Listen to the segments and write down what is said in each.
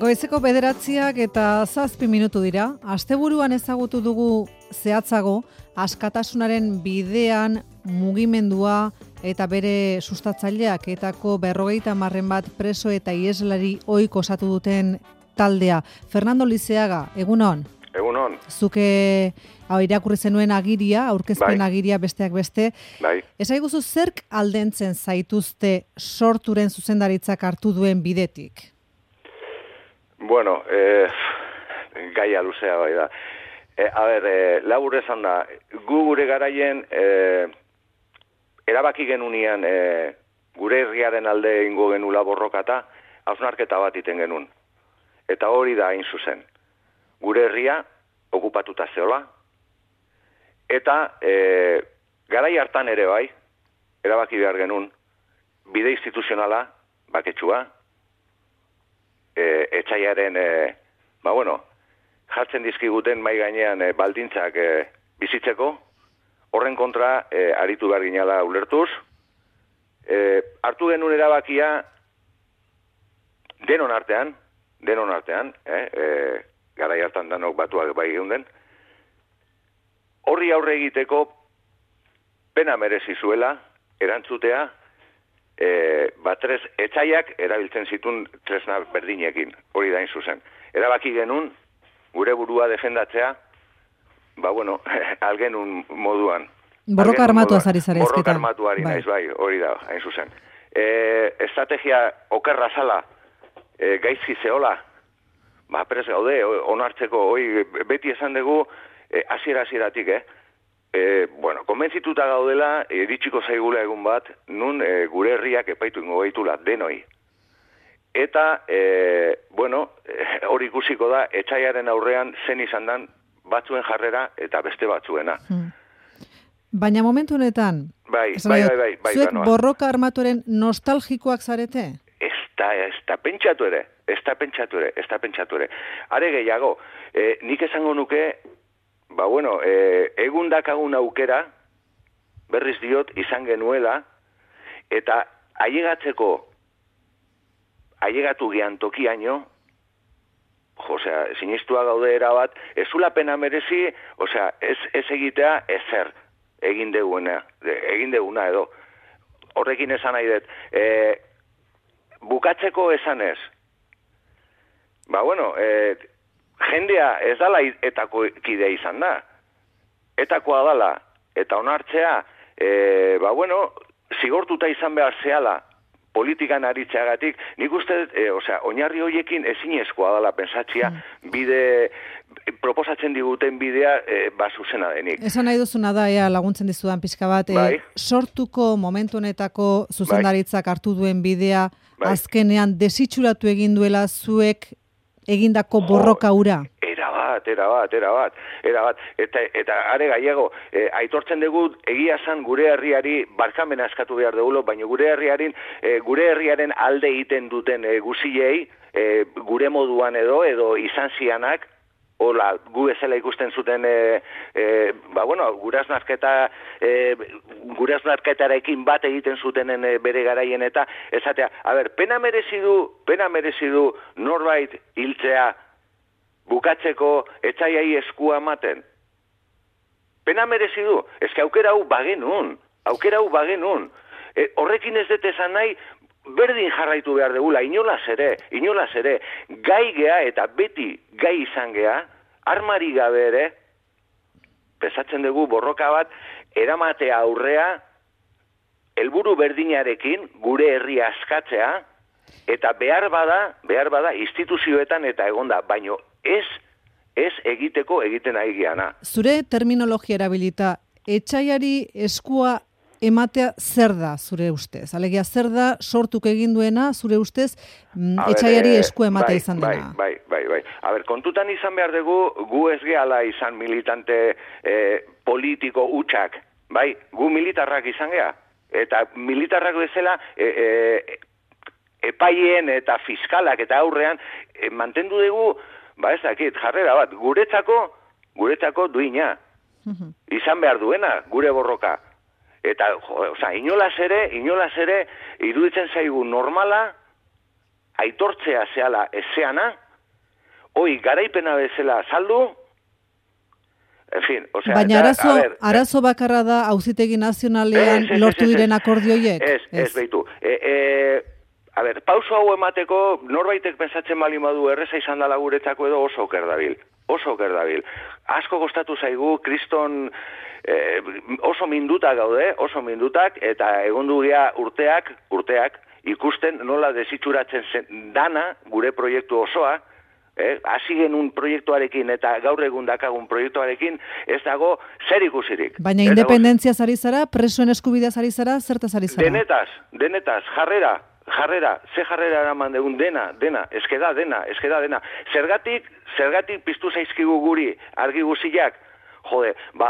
Goizeko 9:07 dira. Asteburuan ezagutu dugu zehatzago askatasunaren bidean mugimendua eta bere sustatzaileak etako 50 bat preso eta ieslari ohiko osatu duten taldea. Fernando Lizeaga, egunon. Egunon. Zuke irakurri zenuen agiria, aurkezpen agiria besteak beste. Bai. Esaiguzu zerk aldentzen zaituzte sorturen zuzendaritzak hartu duen bidetik? Bueno, gaia luzea bai da. Labur esan da, gu gure garaien erabaki genunian gure herriaren alde ingo genula borrokata, hausnarketa bat iten genuen. Eta hori da hain zuzen. Gure herria okupatuta zeola, eta garai hartan ere bai, erabaki behar genuen, bide instituzionala, baketsua, etxaiaren, jartzen dizkiguten mai gainean baldintzak bizitzeko, horren kontra aritu behar ginala ulertuz, hartu genuen erabakia denon artean, garai hartan danok batuak bai geunden, horri aurre egiteko pena merezi zuela, erantzutea, etxaiak erabiltzen zituen tresna berdinekin, hori da hain zuzen. Erabaki genuen, gure burua defendatzea, algenun moduan. Borroka armatua zari zara ezketan. Borroka armatuari naiz, bai, hori da, hain zuzen. Estrategia okerra zala, gaizki zeola, prez gaude, onartzeko, beti esan dugu, hasieratik, konbentzituta gaudela, iritsiko zaigula egun bat, nun gure herriak epaitu ingo gaitula, denoi. Eta, hori ikusiko da, etxaiaren aurrean zen izan dan batzuen jarrera eta beste batzuena. Baina momentu honetan, zuek borroka armatuaren nostalgikoak zarete? Ez da pentsatu ere. Are gehiago, nik esango nuke, egun dakagun aukera, berriz diot, izan genuela, eta ailegatu gehan tokiaino, sinistua gaude erabat, ez zula pena merezi, ez egitea ezer egin deguna edo. Horrekin esan nahi dut, bukatzeko esan ez. Jendea ez dala etako kidea izan da. Etakoa dala, eta onartzea, zigortuta izan behar zehala politikan aritzeagatik, nik uste, oinarri horiekin ezinezkoa dala pensatzia, proposatzen diguten bidea zuzena denik. Esan nahi duzuna da, laguntzen dizudan pixka bat, sortuko momentu honetako zuzendaritzak hartu duen bidea, azkenean desitxuratu egin duela zuek egindako borroka hura? Erabat. Eta are gaiago, aitortzen dugu egia zan gure herriari barkamena eskatu behar dugu, baina gure herriaren alde egiten duten guzilei, gure moduan edo izan zianak, hola, gu ezela ikusten zuten, guraznarketarekin bat egiten zutenen bere garaien eta, esatea, pena merezi du norbait hiltzea, bukatzeko etxaiai eskua ematen. Pena merezi du. Eske aukera hau bagenun. Horrekin ez dut esan nahi, berdin jarraitu behar dugula, inolaz ere, gai gea eta beti gai izan gea, armari gabe ere, pesatzen dugu borroka bat, eramatea aurrea, helburu berdinarekin, gure herria askatzea, eta behar bada instituzioetan eta egonda, baino ez egiteko egiten ari geana. Zure terminologia erabilita, etxaiari eskua ematea zer da zure ustez? Alegia zer da sortuk egin duena zure ustez etxaiari eskua ematea izan dena? Bai. Kontutan izan behar dugu, gu ez gehala izan militante politiko hutsak, bai? Gu militarrak izan gea. Eta militarrak bezala epaien eta fiskalak eta aurrean mantendu dugu jarrera bat, guretzako duina. Izan behar duena, gure borroka. Eta, inolaz ere, iruditzen zaigu normala, aitortzea zehala ezeana, garaipena bezala saldu, en fin, o sea... Baina arazo bakarra da Auzitegi Nazionalean lortu diren akordioiek? Ez, behitu. Pauso hau emateko, norbaitek pensatzen bali modu erreza izan dela guretzako edo oso oker dabil. Asko kostatu zaigu, kriston oso mindutak gaude, eta egon dugia urteak, ikusten nola desitxuratzen dana gure proiektu osoa, hasi genuen proiektuarekin eta gaur egun dakagun proiektuarekin ez dago zer ikusirik. Baina independentziaz ari zara, presoen eskubideaz ari zara, zertaz ari zara? Denetaz, jarrera, ze jarrera eraman degun, dena, eskeda dena. Zergatik piztu zaizkigu guri, argi guziak,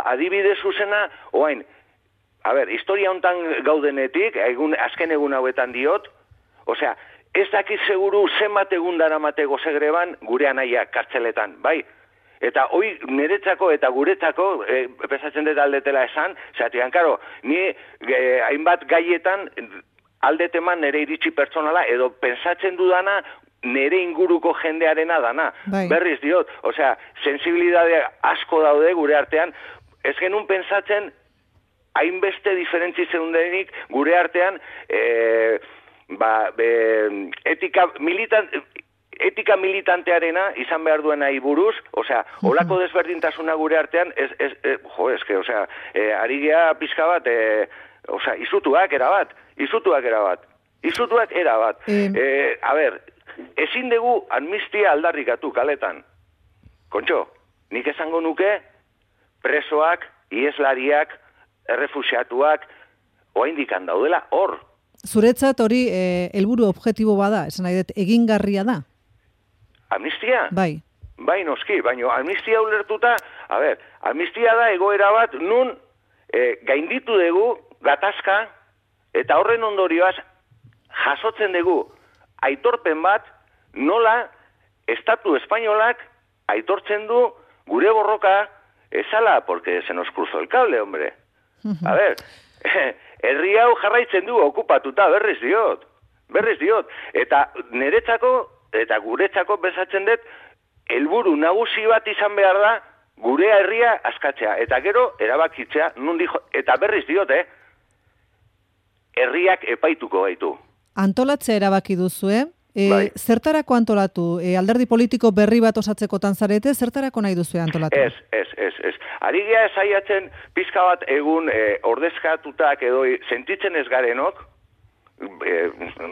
adibide zuzena, oain, historia hontan gaudenetik, azken egun hauetan diot, osea, ez dakit seguru zenbat egun daramateko segreban gure anaiak kartzeletan, bai? Eta hoi niretzako eta guretzako, pesatzen dut aldetela esan, zatian, karo, ni hainbat gaietan aldeteman nire iritsi pertsonala, edo pensatzen dudana nire inguruko jendearena dana. Bai. Berriz diot, osea, sensibilidade asko daude gure artean, ez genuen pensatzen hainbeste diferentzi zeundenik gure artean, etika militantearena izan behar duena buruz, osea, olako desberdintasuna gure artean, ari gea pizka bat, izutuak erabat. Ezin dugu amnistia aldarrikatu kaletan. Kontxo, nik esango nuke presoak, ieslariak, errefuxiatuak, oaindikan daudela hor. Zuretzat hori helburu objektibo bada, esan nahi dut, egingarria da? Amnistia? Bai. Bai, noski, baina amnistia ulertuta, amnistia da egoera bat nun gainditu dugu gatazka eta horren ondorioaz jasotzen dugu aitorpen bat nola Estatu Espainolak aitortzen du gure borroka ezala, porque se nos cruzó el cable, hombre. Herri hau jarraitzen du okupatuta, berriz diot. Eta niretzako eta guretzako bezatzen dut helburu nagusi bat izan behar da gure herria askatzea. Eta gero erabakitzea, eta berriz diot, herriak epaituko gaitu. Antolatzea erabaki duzue. Bai. Zertarako antolatu? Alderdi politiko berri bat osatzekotan zarete, zertarako nahi duzue antolatu? Ez. Ari gea esaiatzen pizka bat egun ordezkatutak edo sentitzen ez garenok,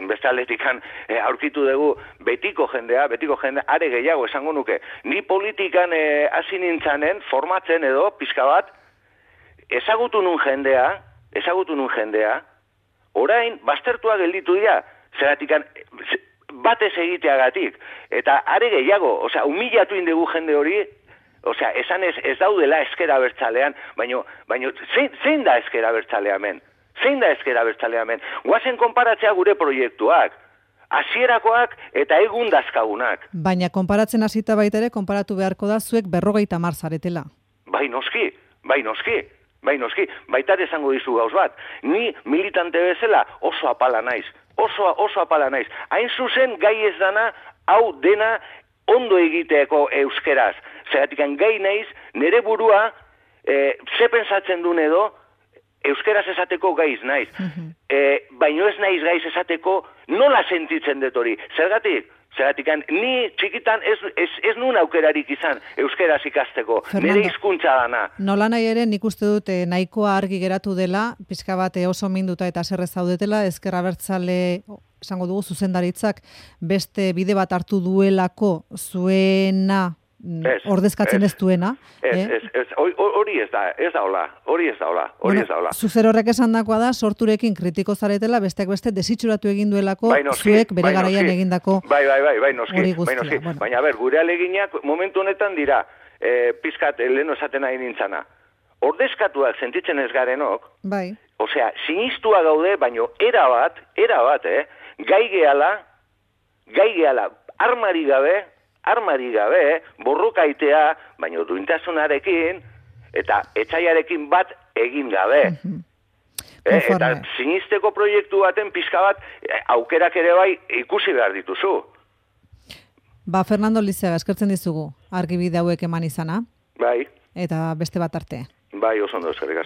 beste aldetikan aurkitu dugu betiko jendea, are gehiago esango nuke. Ni politikan hasi nintzanen, formatzen edo pizka bat, ezagutu nun jendea, orain baztertua gelditu dira, zeratikan batez egiteagatik, eta are gehiago, humilatu indegu jende hori, esan ez daudela ezkera bertzalean, baina zein da ezkera bertzaleamen? Guazen konparatzea gure proiektuak, hasierakoak eta egun dazkagunak. Baina konparatzen hasita baita ere, konparatu beharko da zuek 50 zaretela. Bai noski. Baita esango dizu gauz bat. Ni militante bezala oso apala naiz. Hain zuzen gai ez dana, hau dena ondo egiteeko euskeraz. Zeratikan gai naiz, nire burua, ze pensatzen duen edo, euskeraz esateko gaiz naiz. Baino ez naiz gaiz esateko nola sentitzen dut hori. Zergatikan, ni txikitan ez nun aukerarik izan euskeraz ikasteko. Nire hizkuntza dana. Nola nahi ere, nik uste dut nahikoa argi geratu dela, pixka bat oso minduta eta zerrez zaudetela, ezker abertzale, esango dugu, zuzendaritzak beste bide bat hartu duelako zuena ordezkatzen ez duena. Hori ez da hola. Zuzer horrek esan dakoa da, sorturekin kritiko zaretela, besteak beste desitxuratu egin duelako, zuek bere garaian egindako hori guztia. Baina gure aleginak momentu honetan dira, pizkat leheno esaten nahi nintzana. Ordezkatuak sentitzen ez garenok, osea, sinistua gaude, baino erabat, gai gehala, armari gabe, borrokaitea, baino duintasunarekin, eta etxaiarekin bat egin gabe. Eta sinisteko proiektu baten pizka bat, aukerak ere bai ikusi behar dituzu. Fernando Lizeaga, eskertzen dizugu, argibide hauek eman izana. Bai. Eta beste bat arte. Bai, oso ondo, eskerrik asko.